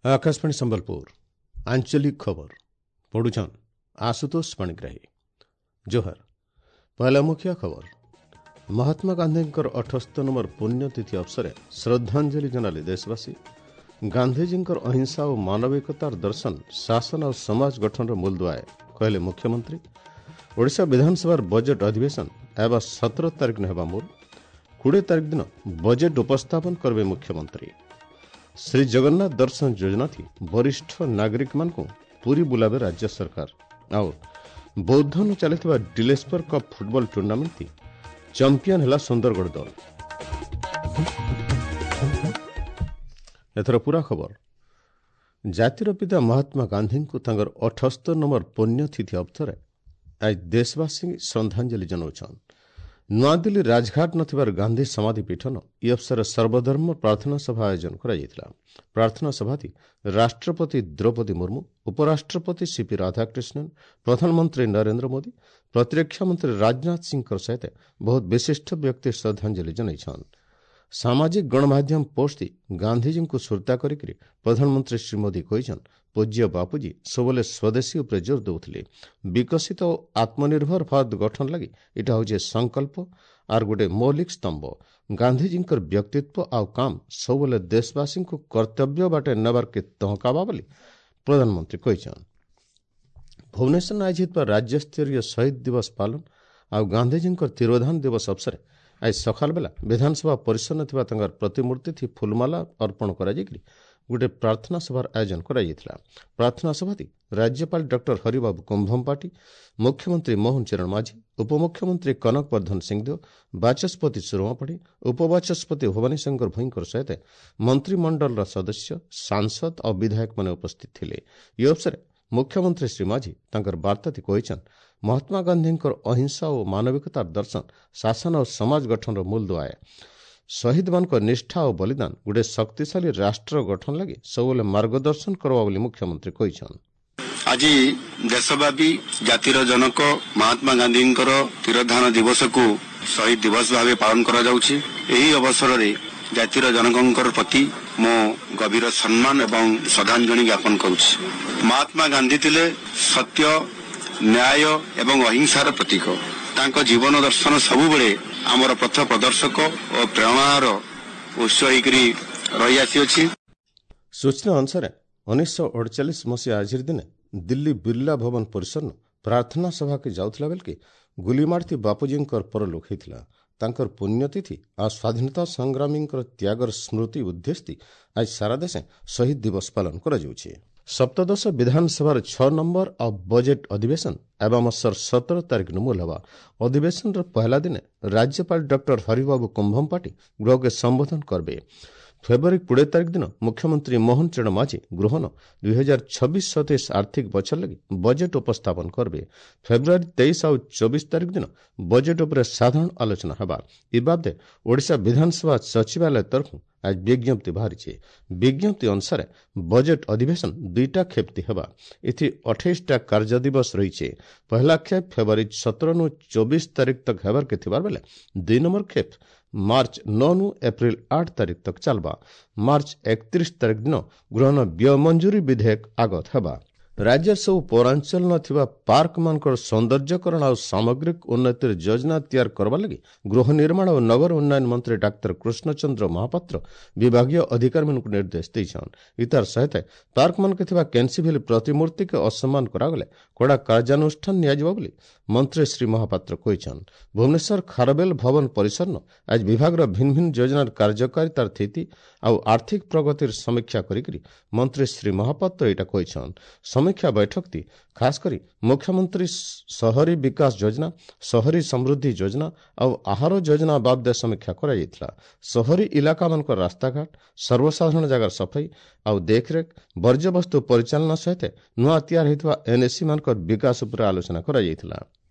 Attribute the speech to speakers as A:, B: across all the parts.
A: Akashvani Sambalpur ଆଞ୍ଚଳିକ ଖବର ପଢୁଛନ୍ ଆଶୁତୋଷ ପାଣିଗ୍ରାହୀ। ଜୋହର। ପହଲା ମୁଖ୍ୟ ଖବର। ମହାତ୍ମା ଗାନ୍ଧୀଙ୍କର 78 ନମ୍ବର ପୁଣ୍ୟତିଥି ଅବସରେ ଶ୍ରଦ୍ଧାଞ୍ଜଳି ଜଣାଲେ ଦେଶବାସୀ। ଗାନ୍ଧିଜୀଙ୍କର ଅହିଂସା ଓ ମାନବିକତାର ଦର୍ଶନ ଶାସନ ଓ ସମାଜ ଗଠନର ମୂଳଦୁଆଏ, କହିଲେ ମୁଖ୍ୟମନ୍ତ୍ରୀ। ଓଡ଼ିଶା ବିଧାନସଭାର ବଜେଟ୍ ଅଧିବେଶନ ହେବା 17 ତାରିଖ ହେବା ମୂଳ। 20 ତାରିଖ ଦିନ ବଜେଟ୍ ଉପସ୍ଥାପନ କରିବେ ମୁଖ୍ୟମନ୍ତ୍ରୀ। ଶ୍ରୀ ଜଗନ୍ନାଥ ଦର୍ଶନ ଯୋଜନା ଥି ବରିଷ୍ଠ ନାଗରିକମାନଙ୍କୁ ପୁରୀ ବୁଲାବେ ରାଜ୍ୟ ସରକାର। ଆଉ ବୌଦ୍ଧନୁ ଚାଲିଥିବା ଡିଲେସ୍ପର କପ୍ ଫୁଟବଲ ଟୁର୍ଣ୍ଣାମେଣ୍ଟ ଥି ଚାମ୍ପିୟନ ହେଲା ସୁନ୍ଦରଗଡ଼ ଦଳ। ଏଥର ପୁରା ଖବର। ଜାତିର ପିତା ମହାତ୍ମା ଗାନ୍ଧୀଙ୍କୁ ତାଙ୍କର 78 ନମ୍ବର ପୁଣ୍ୟତିଥି ଅବସରରେ ଆଜି ଦେଶବାସୀ ଶ୍ରଦ୍ଧାଞ୍ଜଳି ଜଣାଉଛନ୍। ନୂଆଦିଲ୍ଲୀ ରାଜଘାଟ ନଥିବାର ଗାନ୍ଧୀ ସମାଧି ପୀଠନ ଇ ଅବସରରେ ସର୍ବଧର୍ମ ପ୍ରାର୍ଥନା ସଭା ଆୟୋଜନ କରାଯାଇଥିଲା। ପ୍ରାର୍ଥନା ସଭାଟି ରାଷ୍ଟ୍ରପତି ଦ୍ରୌପଦୀ ମୁର୍ମୁ, ଉପରାଷ୍ଟ୍ରପତି ସିପି ରାଧାକ୍ରିଷ୍ଣନ, ପ୍ରଧାନମନ୍ତ୍ରୀ ନରେନ୍ଦ୍ର ମୋଦି, ପ୍ରତିରକ୍ଷା ମନ୍ତ୍ରୀ ରାଜନାଥ ସିଂଙ୍କ ସହିତ ବହୁତ ବିଶିଷ୍ଟ ବ୍ୟକ୍ତି ଶ୍ରଦ୍ଧାଞ୍ଜଳି ଜଣାଇଛନ୍। ସାମାଜିକ ଗଣମାଧ୍ୟମ ପୋଷ୍ଟ ଗାନ୍ଧିଜୀଙ୍କୁ ସୁରତା କରିକି ପ୍ରଧାନମନ୍ତ୍ରୀ ଶ୍ରୀ ମୋଦି କହିଛନ୍, ପୂଜ୍ୟ ବାପୁଜୀ ସବୁବେଳେ ସ୍ୱଦେଶୀ ଉପରେ ଜୋର ଦେଉଥିଲେ। ବିକଶିତ ଓ ଆତ୍ମନିର୍ଭର ଭାରତ ଗଠନ ଲାଗି ଏଇଟା ହେଉଛି ସଂକଳ୍ପ ଆର୍ ଗୋଟେ ମୌଳିକ ସ୍ତମ୍ଭ। ଗାନ୍ଧିଜୀଙ୍କର ବ୍ୟକ୍ତିତ୍ୱ ଆଉ କାମ ସବୁବେଳେ ଦେଶବାସୀଙ୍କୁ କର୍ତ୍ତବ୍ୟ ବାଟେ ନେବାର୍କେ ତହକାବା ବୋଲି ପ୍ରଧାନମନ୍ତ୍ରୀ କହିଛନ୍। ଭୁବନେଶ୍ୱର ଆୟୋଜିତ ରାଜ୍ୟସ୍ତରୀୟ ଶହୀଦ ଦିବସ ପାଳନ ଆଉ ଗାନ୍ଧିଜୀଙ୍କର ତିରୋଧାନ ଦିବସ ଅବସରରେ ଆଜି ସକାଳ ବେଲା ବିଧାନସଭା ପରିସରରେ ଥିବା ତାଙ୍କର ପ୍ରତିମୂର୍ତ୍ତି ଫୁଲମାଲା ଅର୍ପଣ କରାଯାଇକରି ଗୋଟିଏ ପ୍ରାର୍ଥନା ସଭାର ଆୟୋଜନ କରାଯାଇଥିଲା। ପ୍ରାର୍ଥନା ସଭାଟି ରାଜ୍ୟପାଳ ଡକ୍ଟର ହରିବାବୁ କୁମ୍ଭମପାଟି, ମୁଖ୍ୟମନ୍ତ୍ରୀ ମୋହନ ଚରଣ ମାଝୀ, ଉପମୁଖ୍ୟମନ୍ତ୍ରୀ କନକ ବର୍ଦ୍ଧନ ସିଂଦେଓ, ବାଚସ୍ପତି ସୁରମା ପାଢ଼ୀ, ଉପବାଚସ୍ପତି ଭବାନୀ ଶଙ୍କର ଭୋଇଙ୍କର ସହିତ ମନ୍ତ୍ରିମଣ୍ଡଳର ସଦସ୍ୟ, ସାଂସଦ ଆଉ ବିଧାୟକମାନେ ଉପସ୍ଥିତ ଥିଲେ। ଏହି ଅବସରରେ ମୁଖ୍ୟମନ୍ତ୍ରୀ ଶ୍ରୀ ମାଝୀ ତାଙ୍କର ବାର୍ତ୍ତାଟି କହିଛନ୍, ମହାତ୍ମା ଗାନ୍ଧୀଙ୍କର ଅହିଂସା ଓ ମାନବିକତାର ଦର୍ଶନ ଶାସନ ଓ ସମାଜ ଗଠନର ମୂଳଦୁଆଏ। ଶହୀଦମାନଙ୍କ ନିଷ୍ଠା ଓ ବଳିଦାନ ଗୋଟେ ଶକ୍ତିଶାଳୀ ରାଷ୍ଟ୍ର ଗଠନ ଲାଗି ସବୁବେଳେ ମାର୍ଗଦର୍ଶନ କରବା ବୋଲି ମୁଖ୍ୟମନ୍ତ୍ରୀ କହିଛନ୍।
B: ଆଜି ଦେଶବ୍ୟାପୀ ଜାତିର ଜନକ ମହାତ୍ମା ଗାନ୍ଧୀଙ୍କର ତିରୋଧାନ ଦିବସକୁ ଶହୀଦ ଦିବସ ଭାବେ ପାଳନ କରାଯାଉଛି। ଏହି ଅବସରରେ ଜାତିର ଜନକଙ୍କର ପ୍ରତି ମୁଁ ଗଭୀର ସମ୍ମାନ ଏବଂ ଶ୍ରଦ୍ଧାଞ୍ଜଳି ଜ୍ଞାପନ କରୁଛି। ମହାତ୍ମା ଗାନ୍ଧୀ ଥିଲେ ସତ୍ୟ, ନ୍ୟାୟ ଏବଂ ଅହିଂସାର ପ୍ରତୀକ। ତାଙ୍କ ଜୀବନ ଦର୍ଶନ ସବୁବେଳେ ଆମର ପଥ ପ୍ରଦର୍ଶକ ଓ ପ୍ରେରଣାର ଉତ୍ସ ହେଇକରି ରହିଆସିଅଛି।
A: ସୂଚନା ଅନୁସାରେ 1948 ମସିହା ଆଜିର ଦିନେ ଦିଲ୍ଲୀ ବିର୍ଲା ଭବନ ପରିସରରୁ ପ୍ରାର୍ଥନା ସଭାକେ ଯାଉଥିଲା ବେଳକେ ଗୁଲିମାଡ଼ଥି ବାପୁଜୀଙ୍କର ପରଲୋକ ହେଇଥିଲା। ତାଙ୍କର ପୁଣ୍ୟତିଥି ଆଉ ସ୍ୱାଧୀନତା ସଂଗ୍ରାମୀଙ୍କର ତ୍ୟାଗର ସ୍ମୃତି ଉଦ୍ଦେଶ୍ୟ ଆଜି ସାରା ଦେଶେ ଶହୀଦ ଦିବସ ପାଳନ କରାଯାଉଛି। ସପ୍ତଦଶ ବିଧାନସଭାର 6 ନମ୍ବର ଆଉ ବଜେଟ୍ ଅଧିବେଶନ ଆଗାମୀ ମାସର 17 ତାରିଖ ମୂଲ ହେବା। ଅଧିବେଶନର ପହଲା ଦିନେ ରାଜ୍ୟପାଳ ଡକ୍ଟର ହରିବାବୁ କୁମ୍ଭମପାଟି ଗୃହକେ ସମ୍ବୋଧନ କରିବେ। ଫେବୃଆରୀ 20 ତାରିଖ ଦିନ ମୁଖ୍ୟମନ୍ତ୍ରୀ ମୋହନ ଚରଣ ମାଝୀ ଗୃହନ 2026-27 ଆର୍ଥିକ ବଛର ଲାଗି ବଜେଟ୍ ଉପସ୍ଥାପନ କରିବେ। ଫେବୃଆରୀ 23 ଆଉ 24 ତାରିଖ ଦିନ ବଜେଟ୍ ଉପରେ ସାଧାରଣ ଆଲୋଚନା ହେବା। ଏ ବାବଦେ ଓଡ଼ିଶା ବିଧାନସଭା ସଚିବାଳୟ ତରଫରୁ ଆଜି ବିଜ୍ଞପ୍ତି ବାହାରିଛି। ବିଜ୍ଞପ୍ତି ଅନୁସାରେ ବଜେଟ୍ ଅଧିବେଶନ 2ଟା ଖେପ୍ତି ହେବା। ଏଥି 28ଟା କାର୍ଯ୍ୟ ଦିବସ ରହିଛି। ପହଲା ଖେପ୍ ଫେବୃଆରୀ 17 24 ତାରିଖ ତକ ହେବାର୍କେ ଥିବାର ବେଲେ 2 ନମ୍ବର ଖେପ୍ ମାର୍ଚ୍ଚ 9 ଏପ୍ରିଲ 8 ତାରିଖ ତକ ଚାଲବା। ମାର୍ଚ୍ଚ 31 ତାରିଖ ଦିନ ଗୃହନ ବ୍ୟୟ ମଞ୍ଜୁରୀ ବିଧେୟକ ଆଗତ ହେବା। ରାଜ୍ୟର ସବୁ ପୌରାଞ୍ଚଳ ଥିବା ପାର୍କମାନଙ୍କର ସୌନ୍ଦର୍ଯ୍ୟକରଣ ଆଉ ସାମଗ୍ରିକ ଉନ୍ନତିର ଯୋଜନା ତିଆରି କରିବା ଲାଗି ଗୃହ ନିର୍ମାଣ ଓ ନଗର ଉନ୍ନୟନ ମନ୍ତ୍ରୀ ଡାକ୍ତର କୃଷ୍ଣଚନ୍ଦ୍ର ମହାପାତ୍ର ବିଭାଗୀୟ ଅଧିକାରୀମାନଙ୍କୁ ନିର୍ଦ୍ଦେଶ ଦେଇଛନ୍। ଇତାର ସହିତ ପାର୍କମାନଙ୍କ ଥିବା କେନ୍ସିଭିଲ୍ ପ୍ରତିମୂର୍ତ୍ତିକୁ ଅସମ୍ମାନ କରାଗଲେ କଡ଼ା କାର୍ଯ୍ୟାନୁଷ୍ଠାନ ନିଆଯିବ ବୋଲି ମନ୍ତ୍ରୀ ଶ୍ରୀ ମହାପାତ୍ର କହିଛନ୍। ଭୁବନେଶ୍ୱର ଖାରବେଲ ଭବନ ପରିସରନ ଆଜି ବିଭାଗର ଭିନ୍ନ ଭିନ୍ନ ଯୋଜନାର କାର୍ଯ୍ୟକାରିତାର ସ୍ଥିତି ଆଉ ଆର୍ଥିକ ପ୍ରଗତିର ସମୀକ୍ଷା କରିକି ମନ୍ତ୍ରୀ ଶ୍ରୀ ମହାପାତ୍ର ଏଇଟା କହିଛନ୍। ସମୀକ୍ଷା ବୈଠକଟି ଖାସ କରି ମୁଖ୍ୟମନ୍ତ୍ରୀ ସହରୀ ବିକାଶ ଯୋଜନା, ସହରୀ ସମୃଦ୍ଧି ଯୋଜନା ଆଉ ଆହାର ଯୋଜନା ବାବଦେ ସମୀକ୍ଷା କରାଯାଇଥିଲା। ସହରୀ ଇଲାକାମାନଙ୍କ ରାସ୍ତାଘାଟ, ସର୍ବସାଧାରଣ ଜାଗାର ସଫେଇ ଆଉ ଦେଖରେଖ, ବର୍ଜ୍ୟବସ୍ତୁ ପରିଚାଳନା ସହିତ ନୂଆ ତିଆରି ହୋଇଥିବା ଏନ୍ଏସି ମାନଙ୍କର ବିକାଶ ଉପରେ ଆଲୋଚନା କରାଯାଇଥିଲା।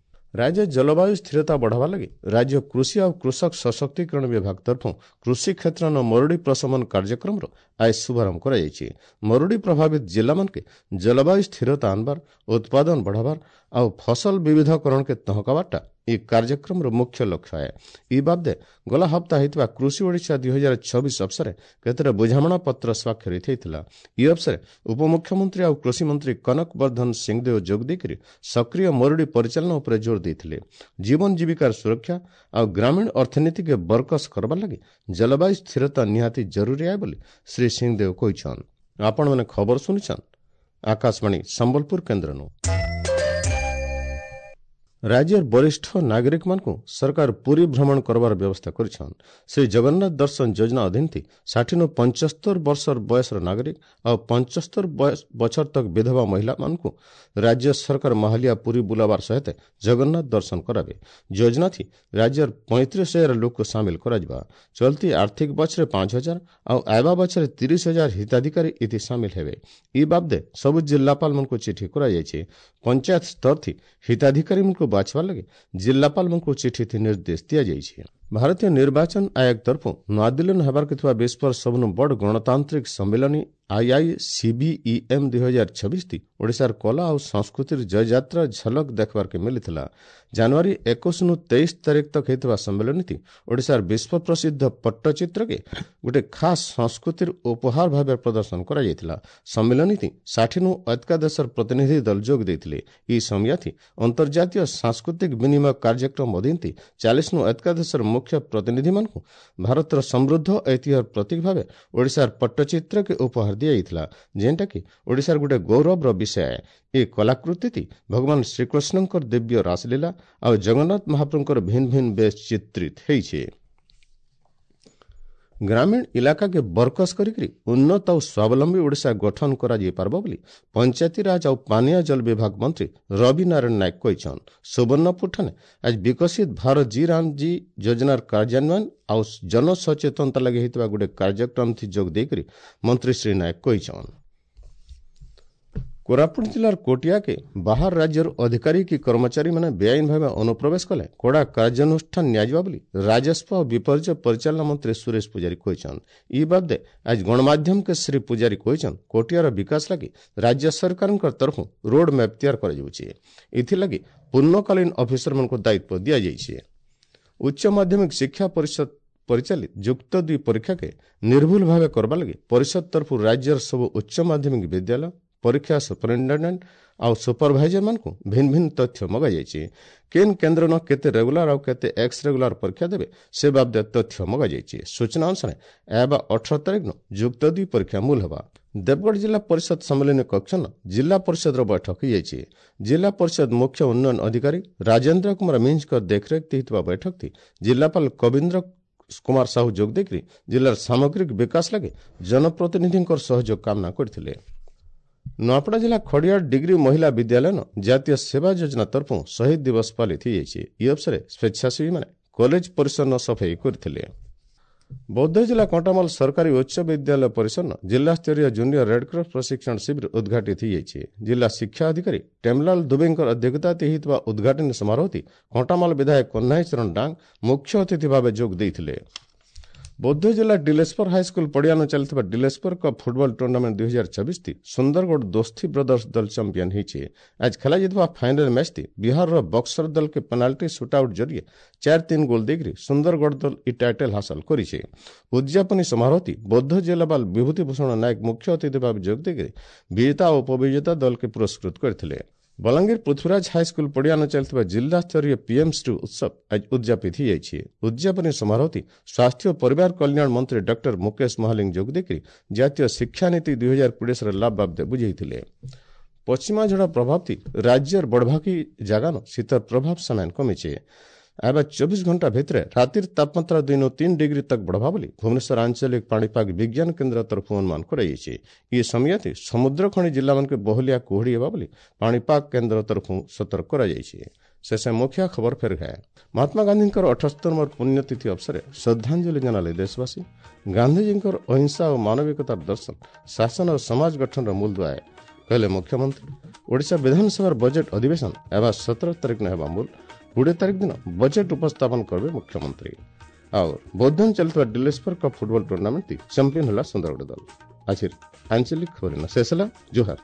A: ରାଜ୍ୟ ଜଳବାୟୁ ସ୍ଥିରତା ବଢ଼ାବା ଲାଗି ରାଜ୍ୟ କୃଷି ଆଉ କୃଷକ ସଶକ୍ତିକରଣ ବିଭାଗ ତରଫରୁ କୃଷି କ୍ଷେତ୍ରର ମରୁଡ଼ି ପ୍ରଶମନ କାର୍ଯ୍ୟକ୍ରମର ଆଜି ଶୁଭାରମ୍ଭ କରାଯାଇଛି। ମରୁଡ଼ି ପ୍ରଭାବିତ ଜିଲ୍ଲାମାନକେ ଜଳବାୟୁ ସ୍ଥିରତା ଆଣବାର, ଉତ୍ପାଦନ ବଢ଼ାବାର ଆଉ ଫସଲ ବିବିଧକରଣକେ ତହକାବାରଟା ଇ କାର୍ଯ୍ୟକ୍ରମର ମୁଖ୍ୟ ଲକ୍ଷ୍ୟ ଏ। ଇ ବାବଦେ ଗଲା ହପ୍ତା ହେଇଥିବା କୃଷି ଓଡ଼ିଶା 2026 ଅବସରେ କେତେଟା ବୁଝାମଣା ପତ୍ର ସ୍ୱାକ୍ଷରିତ ହେଇଥିଲା। ଇ ଅବସରେ ଉପମୁଖ୍ୟମନ୍ତ୍ରୀ ଆଉ କୃଷିମନ୍ତ୍ରୀ କନକ ବର୍ଦ୍ଧନ ସିଂଦେଓ ଯୋଗ ଦେଇକରି ସକ୍ରିୟ ମରୁଡ଼ି ପରିଚାଳନା ଉପରେ ଜୋର ଦେଇଥିଲେ। ଜୀବନ ଜୀବିକାର ସୁରକ୍ଷା ଆଉ ଗ୍ରାମୀଣ ଅର୍ଥନୀତିକେ ବରକସ କରବାର୍ ଲାଗି ଜଳବାୟୁ ସ୍ଥିରତା ନିହାତି ଜରୁରୀ ଆଏ ବୋଲି ଶ୍ରୀ ସିଂଦେଓ କହିଛନ୍। ଆପଣମାନେ ଖବର ଶୁଣିଛନ୍ ଆକାଶବାଣୀ ସମ୍ବଲପୁର କେନ୍ଦ୍ରନୁ। ରାଜ୍ୟର ବରିଷ୍ଠ ନାଗରିକମାନଙ୍କୁ ସରକାର ପୁରୀ ଭ୍ରମଣ କରବାର ବ୍ୟବସ୍ଥା କରିଛନ୍। ଶ୍ରୀ ଜଗନ୍ନାଥ ଦର୍ଶନ ଯୋଜନା ଅଧୀନ 60 ନୁ 75 ବର୍ଷର ବୟସର ନାଗରିକ ଆଉ 75 ବଛର ତକ ବିଧବା ମହିଳାମାନଙ୍କୁ ରାଜ୍ୟ ସରକାର ମହାଲିଆ ପୁରୀ ବୁଲାବାର ସହିତ ଜଗନ୍ନାଥ ଦର୍ଶନ କରାବେ। ଯୋଜନା ଥି ରାଜ୍ୟର 35,000 ଲୋକ ସାମିଲ କରାଯିବା। ଚଲତି ଆର୍ଥିକ ବଛରେ 5,000 ଆଉ ଆଇବା ବଛରେ 30,000 ହିତାଧିକାରୀ ଏଥି ସାମିଲ ହେବେ। ଇ ବାବଦେ ସବୁ ଜିଲ୍ଲାପାଳମାନଙ୍କୁ ଚିଠି କରାଯାଇଛି। ପଞ୍ଚାୟତ ସ୍ତର ଥି ହିତାଧିକାରୀମାନଙ୍କୁ ବାଛବାର ଲାଗି ଜିଲ୍ଲାପାଳମାନଙ୍କୁ ଚିଠି ନିର୍ଦ୍ଦେଶ ଦିଆଯାଇଛି। ଭାରତୀୟ ନିର୍ବାଚନ ଆୟୋଗ ତରଫରୁ ନୂଆଦିଲ୍ଲୀରେ ହେବାକୁ ଥିବା ବିଶ୍ୱର ସବୁଠୁ ବଡ଼ ଗଣତାନ୍ତ୍ରିକ ସମ୍ମିଳନୀ ଆଇଆଇସିବିଇଏମ୍ 2026 ଓଡ଼ିଶାର କଳା ଆଉ ସଂସ୍କୃତିର ଜୟଯାତ୍ରା ଝଲକ ଦେଖିବାର୍କେ ମିଳିଥିଲା। ଜାନୁଆରୀ 21 ନୁ 23 ତାରିଖ ତକ ହେଇଥିବା ସମ୍ମିଳନୀତି ଓଡ଼ିଶାର ବିଶ୍ୱ ପ୍ରସିଦ୍ଧ ପଟ୍ଟଚିତ୍ରକେ ଗୋଟେ ଖାସ୍ ସଂସ୍କୃତିର ଉପହାର ଭାବେ ପ୍ରଦର୍ଶନ କରାଯାଇଥିଲା। ସମ୍ମିଳନୀତି 60 ନୁ ଅଧିକା ଦେଶର ପ୍ରତିନିଧି ଦଳ ଯୋଗ ଦେଇଥିଲେ। ଏହି ସମୟାଥି ଅନ୍ତର୍ଜାତୀୟ ସାଂସ୍କୃତିକ ବିନିମୟ କାର୍ଯ୍ୟକ୍ରମ ଅଧୀନ 40 ନୁ ଅଧିକା ଦେଶର ମୁଖ୍ୟ ପ୍ରତିନିଧିମାନଙ୍କୁ ଭାରତର ସମୃଦ୍ଧ ଐତିହ୍ୟର ପ୍ରତୀକ ଭାବେ ଓଡ଼ିଶାର ପଟ୍ଟଚିତ୍ରକେ ଉପହାର ଦିଆଯାଇଥିଲା, ଯେନ୍ଟାକି ଓଡ଼ିଶାର ଗୋଟେ ଗୌରବର ବିଷୟ। ଏ କଳାକୃତିଟି ଭଗବାନ ଶ୍ରୀକୃଷ୍ଣଙ୍କର ଦିବ୍ୟ ରାସଲୀଳା ଆଉ ଜଗନ୍ନାଥ ମହାପ୍ରଭୁଙ୍କର ଭିନ୍ନ ଭିନ୍ନ ବେଶ ଚିତ୍ରିତ ହେଇছে। ଗ୍ରାମୀଣ ଇଲାକାକେ ବରକସ କରିକିରି ଉନ୍ନତ ଆଉ ସ୍ୱାବଲମ୍ବୀ ଓଡ଼ିଶା ଗଠନ କରାଯାଇପାରିବ ବୋଲି ପଞ୍ଚାୟତିରାଜ ଆଉ ପାନୀୟ ଜଳ ବିଭାଗ ମନ୍ତ୍ରୀ ରବି ନାରାୟଣ ନାୟକ କହିଛନ୍। ସୁବର୍ଣ୍ଣପୁରଠାନେ ଆଜି ବିକଶିତ ଭାରତ ଜି ରାମ ଜି ଯୋଜନାର କାର୍ଯ୍ୟାନ୍ୱୟନ ଆଉ ଜନସଚେତନତା ଲାଗି ହେଇଥିବା ଗୋଟେ କାର୍ଯ୍ୟକ୍ରମ ଥି ଯୋଗ ଦେଇକରି ମନ୍ତ୍ରୀ ଶ୍ରୀ ନାୟକ କହିଛନ୍। କୋରାପୁଟ ଜିଲ୍ଲାର କୋଟିଆକେ ବାହାର ରାଜ୍ୟର ଅଧିକାରୀ କି କର୍ମଚାରୀମାନେ ବେଆଇନ ଭାବେ ଅନୁପ୍ରବେଶ କଲେ କଡ଼ା କାର୍ଯ୍ୟାନୁଷ୍ଠାନ ନିଆଯିବ ବୋଲି ରାଜସ୍ୱ ଓ ବିପର୍ଯ୍ୟୟ ପରିଚାଳନା ମନ୍ତ୍ରୀ ସୁରେଶ ପୂଜାରୀ କହିଛନ୍। ଇ ବାବଦେ ଆଜି ଗଣମାଧ୍ୟମକେ ଶ୍ରୀ ପୂଜାରୀ କହିଛନ୍, କୋଟିଆର ବିକାଶ ଲାଗି ରାଜ୍ୟ ସରକାରଙ୍କ ତରଫରୁ ରୋଡ୍ ମ୍ୟାପ୍ ତିଆରି କରାଯାଉଛି। ଏଥିଲାଗି ପୂର୍ଣ୍ଣକାଳୀନ ଅଫିସରମାନଙ୍କୁ ଦାୟିତ୍ୱ ଦିଆଯାଇଛି। ଉଚ୍ଚ ମାଧ୍ୟମିକ ଶିକ୍ଷା ପରିଷଦ ପରିଚାଳିତ ଯୁକ୍ତ ଦୁଇ ପରୀକ୍ଷାକେ ନିର୍ଭୁଲ ଭାବେ କରବା ଲାଗି ପରିଷଦ ତରଫରୁ ରାଜ୍ୟର ସବୁ ଉଚ୍ଚ ମାଧ୍ୟମିକ ବିଦ୍ୟାଳୟ ପରୀକ୍ଷା ସୁପରିଟେଣ୍ଡେଣ୍ଟ ଆଉ ସୁପରଭାଇଜରମାନଙ୍କୁ ଭିନ୍ନ ଭିନ୍ନ ତଥ୍ୟ ମଗାଯାଇଛି। କେନ୍ କେନ୍ଦ୍ର ନ କେତେ ରେଗୁଲାର ଆଉ କେତେ ଏକ୍ସ ରେଗୁଲାର ପରୀକ୍ଷା ଦେବେ ସେ ବାବଦେ ତଥ୍ୟ ମଗାଯାଇଛି। ସୂଚନା ଅନୁସାରେ ଏହା 18 ତାରିଖ ଦିନ ଯୁକ୍ତ ଦୁଇ ପରୀକ୍ଷା ମୂଲ ହେବା। ଦେବଗଡ଼ ଜିଲ୍ଲା ପରିଷଦ ସମ୍ମିଳନୀ କକ୍ଷନ ଜିଲ୍ଲା ପରିଷଦର ବୈଠକ ହୋଇଯାଇଛି। ଜିଲ୍ଲା ପରିଷଦ ମୁଖ୍ୟ ଉନ୍ନୟନ ଅଧିକାରୀ ରାଜେନ୍ଦ୍ର କୁମାର ମିଞ୍ଜଙ୍କ ଦେଖରେଖ ହେଇଥିବା ବୈଠକଟି ଜିଲ୍ଲାପାଳ କବୀନ୍ଦ୍ର କୁମାର ସାହୁ ଯୋଗ ଦେଇକରି ଜିଲ୍ଲାର ସାମଗ୍ରିକ ବିକାଶ ଲାଗି ଜନପ୍ରତିନିଧିଙ୍କର ସହଯୋଗ କାମନା କରିଥିଲେ। ନୂଆପଡ଼ା ଜିଲ୍ଲା ଖଡ଼ିଆଳ ଡିଗ୍ରୀ ମହିଳା ବିଦ୍ୟାଳୟନ ଜାତୀୟ ସେବା ଯୋଜନା ତରଫରୁ ଶହୀଦ ଦିବସ ପାଳିତ ହୋଇଯାଇଛି। ଏହି ଅବସରରେ ସ୍ୱେଚ୍ଛାସେବୀମାନେ କଲେଜ ପରିସର ସଫେଇ କରିଥିଲେ। ବୌଦ୍ଧ ଜିଲ୍ଲା କଣ୍ଟାମାଲ ସରକାରୀ ଉଚ୍ଚ ବିଦ୍ୟାଳୟ ପରିସର ଜିଲ୍ଲାସ୍ତରୀୟ ଜୁନିୟର ରେଡ୍କ୍ରସ ପ୍ରଶିକ୍ଷଣ ଶିବିର ଉଦ୍ଘାଟିତ ହୋଇଯାଇଛି। ଜିଲ୍ଲା ଶିକ୍ଷା ଅଧିକାରୀ ଟେମଲାଲ ଦୁବେଙ୍କର ଅଧ୍ୟକ୍ଷତାରେ ହୋଇଥିବା ଉଦ୍ଘାଟନୀ ସମାରୋହଟି କଣ୍ଟାମାଲ ବିଧାୟକ କହ୍ନାଇ ଚରଣ ଡାଙ୍ଗ ମୁଖ୍ୟ ଅତିଥି ଭାବେ ଯୋଗ ଦେଇଥିଲେ। ବୌଦ୍ଧ ଜିଲ୍ଲା ଡିଲେଶ୍ୱର ହାଇସ୍କୁଲ ପଡ଼ିଆନ ଚାଲିଥିବା Dileswar cup football tournament 2026 Sundargarh Dosti brothers ଦଳ ଚାମ୍ପିୟନ ହୋଇଛି। ଆଜି ଖେଳାଯାଇଥିବା ଫାଇନାଲ ମ୍ୟାଚ୍ଟି ବିହାରର ବକ୍ସର ଦଳକେ ପେନାଲ୍ଟି ସୁଟ୍ଆଉଟ୍ ଜରିଏ 4-3 ଗୋଲ୍ ଦେଇକରି ସୁନ୍ଦରଗଡ଼ ଦଳ ଇ ଟାଇଟଲ୍ ହାସଲ କରିଛି। ଉଦ୍ଯାପନୀ ସମାରୋହଟି ବୌଦ୍ଧ ଜିଲ୍ଲାପାଳ ବିଭୂତି ଭୂଷଣ ନାୟକ ମୁଖ୍ୟ ଅତିଥି ଭାବେ ଯୋଗ ଦେଇକରି ବିଜେତା ଓ ଉପବିଜେତା ଦଳକେ ପୁରସ୍କୃତ କରିଥିଲେ। ବଲାଙ୍ଗୀର ପୃଥ୍ୱୀରାଜ ହାଇସ୍କୁଲ ପଡ଼ିଆନ ଚାଲିଥିବା ଜିଲ୍ଲାସ୍ତରୀୟ ପିଏମ୍ ଶ୍ରୀ ଉତ୍ସବ ଆଜି ଉଦ୍ଯାପିତ ହୋଇଯାଇଛି। ଉଦ୍ଯାପନୀ ସମାରୋହଟି ସ୍ୱାସ୍ଥ୍ୟ ଓ ପରିବାର କଲ୍ୟାଣ ମନ୍ତ୍ରୀ ଡକ୍ଟର ମୁକେଶ ମହାଲିଙ୍ଗ ଯୋଗ ଦେଇକରି ଜାତୀୟ ଶିକ୍ଷାନୀତି 2020ର ଲାଭ ବାବଦେ ବୁଝାଇଥିଲେ। ପଶ୍ଚିମାଝଡ଼ ପ୍ରଭାବଟି ରାଜ୍ୟର ବଡ଼ଭାଗୀ ଜାଗାନ ଶୀତର ପ୍ରଭାବ ସାମାନ କମିଛି। ଆଇବା 24 ଘଣ୍ଟା ଭିତରେ ରାତିର ତାପମାତ୍ରା 2 3 ଡିଗ୍ରୀ ତକ ବଢ଼ବା ବୋଲି ଭୁବନେଶ୍ୱର ଆଞ୍ଚଳିକ ପାଣିପାଗ ବିଜ୍ଞାନ କେନ୍ଦ୍ର ତରଫରୁ ଅନୁମାନ କରାଯାଇଛି। ଏ ସମୟତି ସମୁଦ୍ର ଖଣି ଜିଲ୍ଲାମାନଙ୍କୁ ବହଲିଆ କୁହୁଡ଼ି ହେବା ବୋଲି ପାଣିପାଗ କେନ୍ଦ୍ର ତରଫରୁ ସତର୍କ କରାଯାଇଛି। ଶେଷ ମୁଖ୍ୟ ଖବର ଫେର ଗଏ। ମହାତ୍ମା ଗାନ୍ଧୀଙ୍କର 78 ନମ୍ବର ପୁଣ୍ୟତିଥି ଅବସରରେ ଶ୍ରଦ୍ଧାଞ୍ଜଳି ଜଣାଲେ ଦେଶବାସୀ। ଗାନ୍ଧିଜୀଙ୍କର ଅହିଂସା ଓ ମାନବିକତାର ଦର୍ଶନ ଶାସନ ଓ ସମାଜ ଗଠନର ମୂଳଦୁଆ କହିଲେ ମୁଖ୍ୟମନ୍ତ୍ରୀ। ଓଡ଼ିଶା ବିଧାନସଭାର ବଜେଟ୍ ଅଧିବେଶନ ହେବା 17 ତାରିଖ ହେବା ମୂଳ। 20 ତାରିଖ ଦିନ ବଜେଟ୍ ଉପସ୍ଥାପନ କରିବେ ମୁଖ୍ୟମନ୍ତ୍ରୀ। ଆଉ ବୌଦ୍ଧନ ଚାଲିଥିବା Dileswar cup football tournament champion ହେଲା ସୁନ୍ଦରଗଡ଼ ଦଳ। ଆଜିର ଆଞ୍ଚଳିକ ଖବର ଶେଷ ହେଲା। ଜୁହାର।